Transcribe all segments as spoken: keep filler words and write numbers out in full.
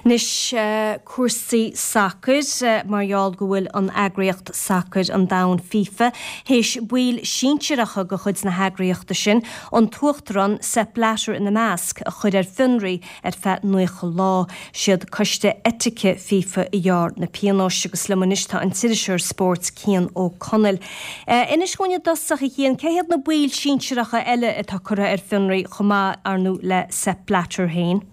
Anois cúrsaí sacair mar gheall go bhfuil an eagraíocht sacair an domhain FIFA théis baill sinsearacha de chuid na heagraíochta sin an tUachtarán Sepp Blatter ina measc a chur ar fionraí ar feadh nócha lá. Siad coiste eitice FIFA a ghearr na pionóis agus liom anois tá an t-iriseoir spóirt Cian Ó Conaill. Inis dúinn i dtosach a Chian cé hiad na baill sinsearacha eile atá curtha ar fionraí chomh maith ar ndóigh le Sepp Blatter féin.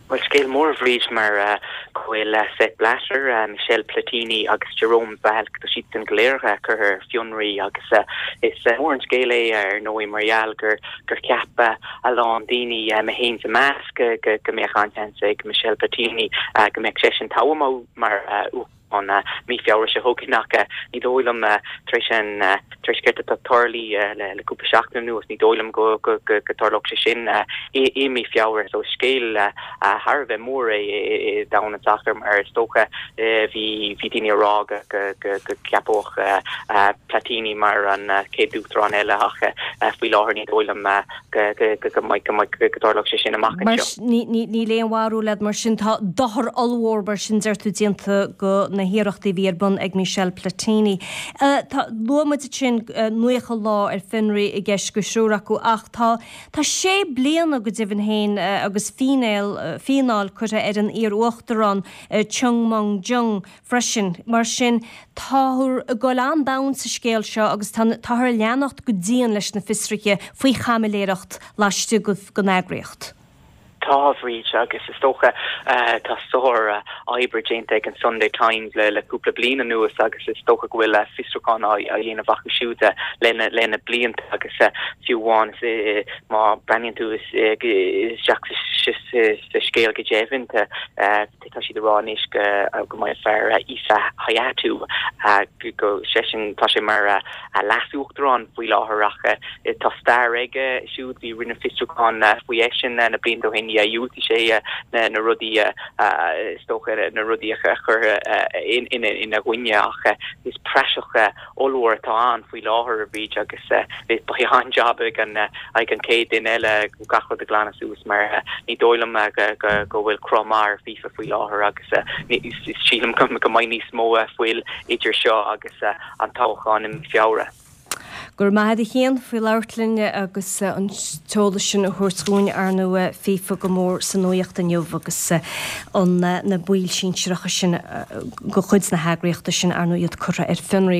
Well scéal mór Bhríd mar uh, go bhfuil uh, Sepp Blatter, uh, Michel Platini agus Jerome Valcke tá siad go léir curtha ar fionraí agus uh, is uh, mór an scéal é ar ndóigh mar gheall gur gur cheap a lán daoine uh, mé féin sa measc go go mbeadh an-seans ag Michel Platini uh, go mbeadh sé tofa mar uh, an uh, mí Feabhra seo chugainn ach ní dóigh liom uh, tar éis an uh, tar éis céard atá tarlaithe le le cúpla seachtain anuas ní dóigh liom go go go go dtarlódh sé sin i i mí Feabhra so scéal thar a bheith mór é i domhan an tsacair mar is dócha bhí bhí daoine ag rá go go go gceapfaí Platini mar an chéad uachtarán eile ach faoi láthair ní dóigh liom go go go go go go dtarlódh sé sin amach Níl aon bharúil agat mar sin tá dochar ollmhór mar sin deir tú déanta do na hiarrachtaí a bhí ar bun ag Michel Platini. Uh, Luaigh muid sin uh, nócha lá ar fionraí i gceist do thriúr acu ach tá Tá sé bliana go deimhin féin uh, agus fíneáil uh, fíneáil curtha ar an iar-uachtarán uh, Chung Mong Jung freisin mar sin táthar ag dul an-domhain sa scéal seo agus táthar ag leanacht go dian leis na fiosruithe faoi chaimiléireacht laistigh den eagraíocht. Tá Bhríd agus is dócha uh, tá sár uh, obair déanta ag an Sunday Times le le cúpla bliain anuas agus is dócha go bhfuil uh, fiosrúchán á dhéanamh acu siúd lena lena blianta agus uh, fiú amháin uh, má bhreathnaíonn tú isteach sa scéal go deimhin uh, tá siad ag rá anois go go mbeidh fear Issa Hayatou go seisean tá sé mar a leas-uachtarán faoi láthair ach tá stair aige siúd bhí rinneadh fiosrúchán faoi eisean na blianta ó shin dhiúltaigh sé na na rudaí is dócha na rudaí a chur ina gcoinne ach is praiseach ollmhór atá ann faoi láthair a Bhríd agus beidh an-jab ag an ag an chéad duine eile gach rud a ghlanadh suas mar ní dóigh liom go bhfuil cruth maith ar FIFA faoi láthair agus sílim go mbeidh níos mó fuil idir seo agus an toghchán i Feabhra. Gur maith a Chian faoi labhairt linn agus an t-eolas sin a thabhairt dúinn ar ndóigh FIFA go mór sa nuacht inniu agus an na baill sinsearacha sin de chuid na heagraíochta sin ar ndóigh iad curtha ar fionraí.